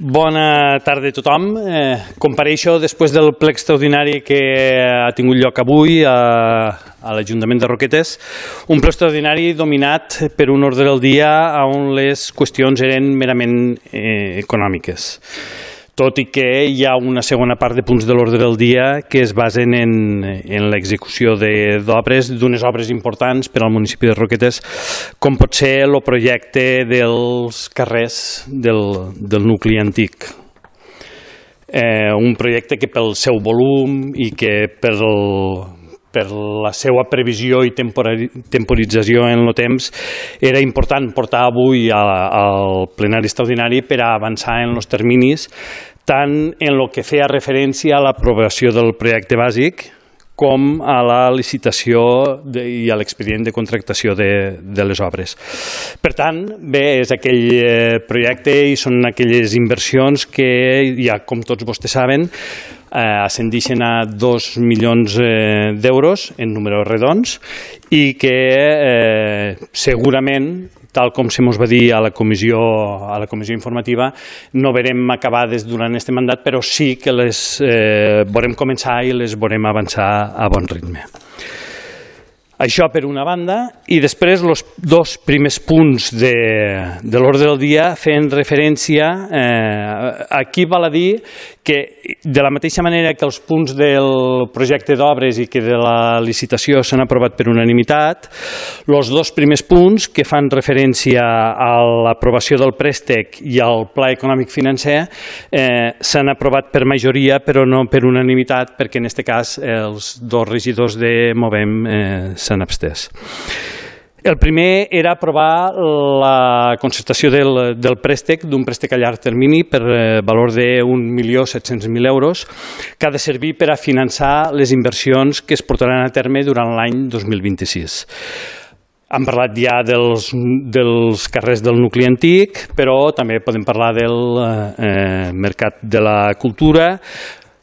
Bona tarda a tothom. Compareixo després del ple extraordinari que ha tingut lloc avui a l'Ajuntament de Roquetes, un ple extraordinari dominat per un ordre del dia on les qüestions eren merament econòmiques. Tot i que hi ha una segona part de punts de l'ordre del dia que es basen en l'execució d'obres, d'unes obres importants per al municipi de Roquetes, com pot ser el projecte dels carrers del nucli antic. Un projecte que pel seu volum i que per la seva previsió i temporització en el temps era important portar avui al plenari extraordinari per a avançar en els terminis, tant en el que feia referència a l'aprovació del projecte bàsic com a la licitació i a l'expedient de contractació de les obres. Per tant, bé, és aquell projecte i són aquelles inversions que, ja com tots vostès saben, ascendeixen a 2 milions d'euros en números redons i que segurament, tal com se mos va dir a la comissió informativa, no verem acabades durant aquest mandat, però sí que les veurem començar i les veurem avançar a bon ritme. Això per una banda, i després els dos primers punts de l'ordre del dia feien referència, aquí val a dir que de la mateixa manera que els punts del projecte d'obres i que de la licitació s'han aprovat per unanimitat, els dos primers punts que fan referència a l'aprovació del préstec i al pla econòmic financer s'han aprovat per majoria però no per unanimitat, perquè en aquest cas els dos regidors de Movem s'han abstès. El primer era aprovar la concertació del préstec, d'un préstec a llarg termini per valor de 1.700.000 euros, que ha de servir per a finançar les inversions que es portaran a terme durant l'any 2026. Hem parlat ja dels carrers del nucli antic, però també podem parlar del mercat de la cultura,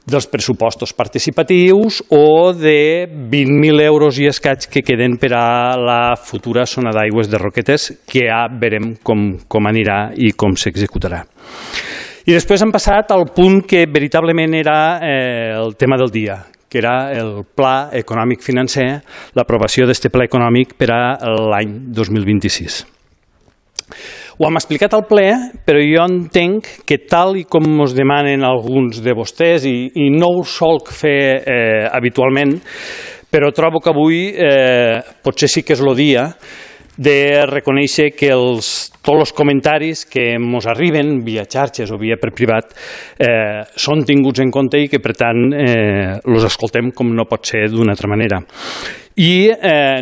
dels pressupostos participatius o de 20.000 euros i escaig que queden per a la futura zona d'aigües de Roquetes, que ja veurem com anirà i com s'executarà. I després hem passat al punt que veritablement era el tema del dia, que era el pla econòmic financer, l'aprovació d'aquest pla econòmic per a l'any 2026. Ho hem explicat al ple, però jo entenc que tal i com ens demanen alguns de vostès, i no ho solc fer habitualment, però trobo que avui potser sí que és el dia de reconèixer que tots els comentaris que ens arriben via xarxes o via per privat són tinguts en compte i que per tant els escoltem com no pot ser d'una altra manera. I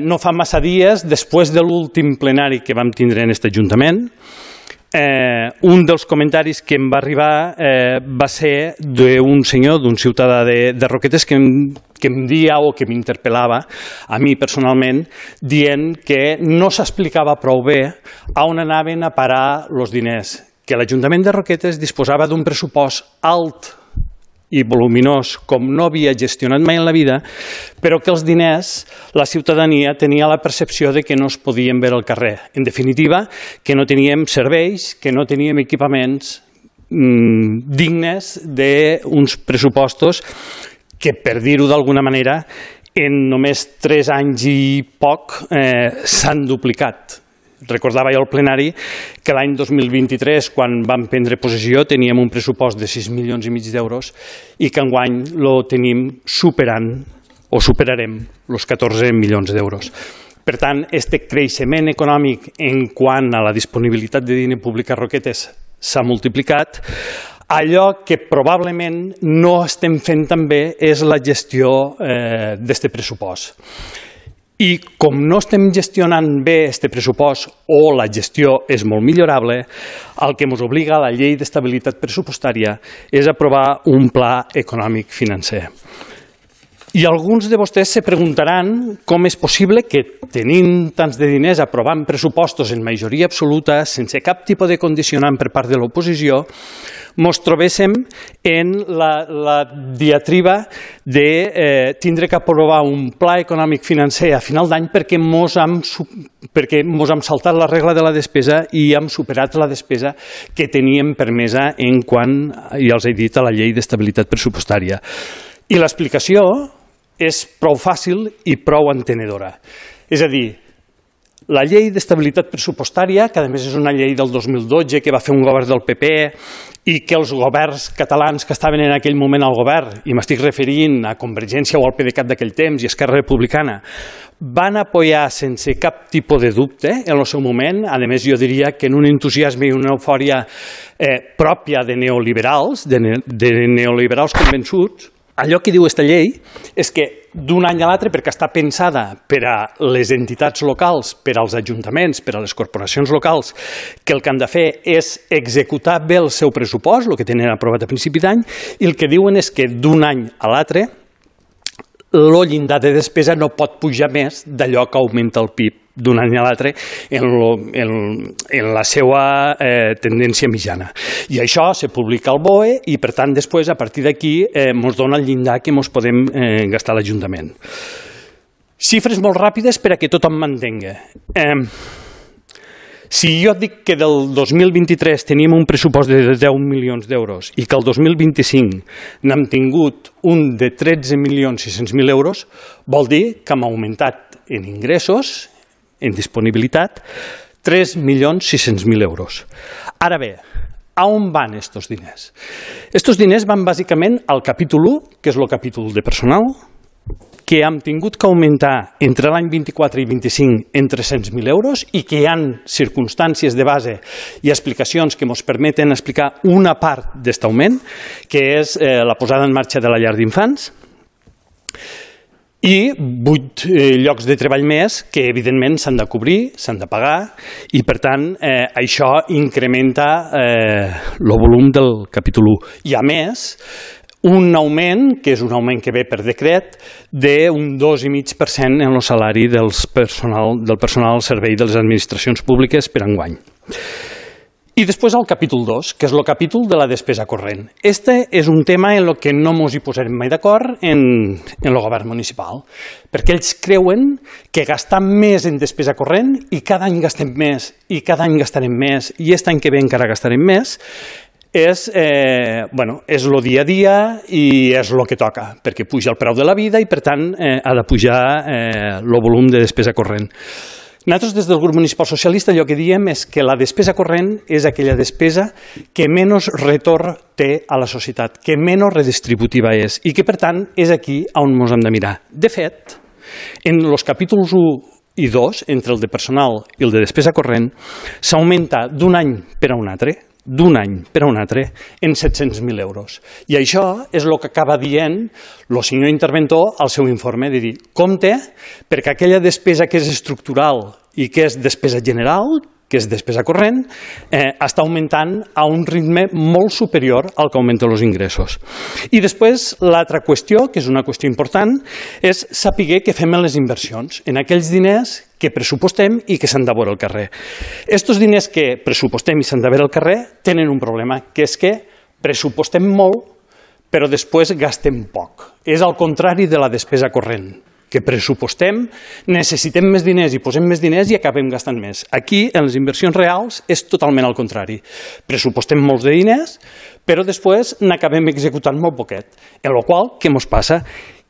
no fa massa dies, després de l'últim plenari que vam tindre en aquest Ajuntament, un dels comentaris que em va arribar va ser d'un senyor, d'un ciutadà de Roquetes que em dia o que m'interpel·lava a mi personalment, dient que no s'explicava prou bé on anaven a parar els diners, que l'Ajuntament de Roquetes disposava d'un pressupost alt i voluminós com no havia gestionat mai en la vida, però que els diners, la ciutadania tenia la percepció de que no es podien veure al carrer. En definitiva, que no teníem serveis, que no teníem equipaments dignes d'uns pressupostos que, per dir-ho d'alguna manera, en només 3 anys i poc s'han duplicat. Recordava jo al plenari que l'any 2023, quan vam prendre possessió, teníem un pressupost de 6,5 milions d'euros i que enguany el tenim superant o superarem els 14 milions d'euros. Per tant, aquest creixement econòmic en quant a la disponibilitat de diner públic a Roquetes s'ha multiplicat. Allò que probablement no estem fent tan bé és la gestió d'aquest pressupost. I com no estem gestionant bé aquest pressupost o la gestió és molt millorable, el que ens obliga a la llei d'estabilitat pressupostària és aprovar un pla econòmic financer. I alguns de vostès se preguntaran com és possible que, tenint tants de diners, aprovant pressupostos en majoria absoluta, sense cap tipus de condicionant per part de l'oposició, ens trobéssim en la diatriba de tindre que aprovar un pla econòmic financer a final d'any perquè mos hem saltat la regla de la despesa i hem superat la despesa que teníem permesa en quant, ja els he dit, a la llei d'estabilitat pressupostària. I l'explicació és prou fàcil i prou entenedora. És a dir, la llei d'estabilitat pressupostària, que a més és una llei del 2012 que va fer un govern del PP i que els governs catalans que estaven en aquell moment al govern, i m'estic referint a Convergència o al PDeCAT d'aquell temps i Esquerra Republicana, van apoyar sense cap tipus de dubte en el seu moment. A més, jo diria que en un entusiasme i una eufòria pròpia de neoliberals, de neoliberals convençuts. Allò que diu aquesta llei és que d'un any a l'altre, perquè està pensada per a les entitats locals, per als ajuntaments, per a les corporacions locals, que el que han de fer és executar bé el seu pressupost, el que tenen aprovat a principi d'any, i el que diuen és que d'un any a l'altre el llindar de despesa no pot pujar més d'allò que augmenta el PIB d'un any a l'altre en la seva tendència mitjana. I això se publica al BOE i, per tant, després, a partir d'aquí, ens dona el llindar que ens podem gastar a l'Ajuntament. Xifres molt ràpides per a que tothom m'entenga. Si jo dic que del 2023 teníem un pressupost de 10 milions d'euros i que el 2025 n'hem tingut un de 13.600.000 euros, vol dir que hem augmentat en ingressos, en disponibilitat, 3.600.000 euros. Ara bé, a on van aquests diners? Aquests diners van bàsicament al capítol 1, que és el capítol de personal, que hem tingut que augmentar entre l'any 24 i 25 en 300.000 euros i que hi ha circumstàncies de base i explicacions que ens permeten explicar una part d'aquest augment, que és la posada en marxa de la llar d'infants, i 8 llocs de treball més que, evidentment, s'han de cobrir, s'han de pagar, i, per tant, això incrementa el volum del capítol 1. I, a més, un augment, que és un augment que ve per decret, d'un 2,5% en el salari del personal al servei de les administracions públiques per enguany. I després el capítol 2, que és el capítol de la despesa corrent. Este és un tema en el que no ens hi posarem mai d'acord en el govern municipal, perquè ells creuen que gastar més en despesa corrent i cada any gastem més i cada any gastarem més i aquest any que ve encara gastarem més, és el dia a dia i és el que toca, perquè puja el preu de la vida i, per tant, ha de pujar el volum de despesa corrent. Nosaltres, des del grup municipal socialista, allò que diem és que la despesa corrent és aquella despesa que menys retorn té a la societat, que menys redistributiva és i que, per tant, és aquí on ens hem de mirar. De fet, en els capítols 1 i 2, entre el de personal i el de despesa corrent, s'augmenta d'un any per a un altre, en 700.000 euros. I això és el que acaba dient el senyor interventor al seu informe, de dir, compte, perquè aquella despesa que és estructural i que és despesa general, que és despesa corrent, està augmentant a un ritme molt superior al que augmenten els ingressos. I després, l'altra qüestió, que és una qüestió important, és saber què fem en les inversions, en aquells diners que pressupostem i que s'han de veure al carrer. Aquests diners que pressupostem i s'han de veure al carrer tenen un problema, que és que pressupostem molt, però després gastem poc. És al contrari de la despesa corrent, que pressupostem, necessitem més diners i posem més diners i acabem gastant més. Aquí, en les inversions reals, és totalment al contrari. Pressupostem molts de diners, però després n'acabem executant molt poquet. En la qual cosa, què ens passa?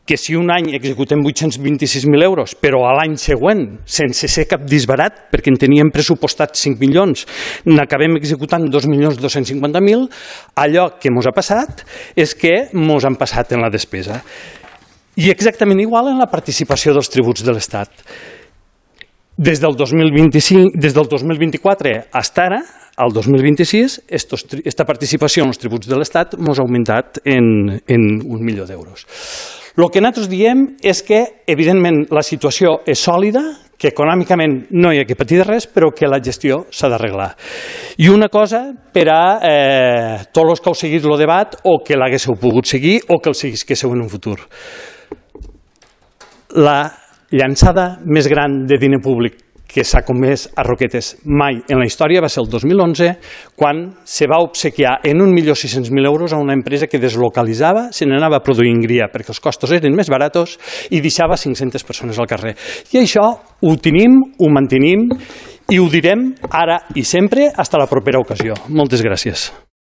Que si un any executem 826.000 euros, però a l'any següent, sense ser cap disbarat, perquè en teníem pressupostats 5 milions, n'acabem executant 2.250.000, allò que ens ha passat és que ens han passat en la despesa. I exactament igual en la participació dels tributs de l'Estat. Des del 2024 fins ara, al 2026, aquesta participació en els tributs de l'Estat ens ha augmentat en 1 milió d'euros. El que nosaltres diem és que, evidentment, la situació és sòlida, que econòmicament no hi ha que patir de res, però que la gestió s'ha d'arreglar. I una cosa per a tots els que heu seguit el debat o que l'haguéssiu pogut seguir o que el seguisquéssiu en un futur. la llançada més gran de diner públic que s'ha comès a Roquetes mai en la història va ser el 2011, quan se va obsequiar en 1.600.000 euros a una empresa que deslocalitzava, se n'anava a produir en Gria perquè els costos eren més baratos i deixava 500 persones al carrer. I això ho tenim, ho mantenim i ho direm ara i sempre fins a la propera ocasió. Moltes gràcies.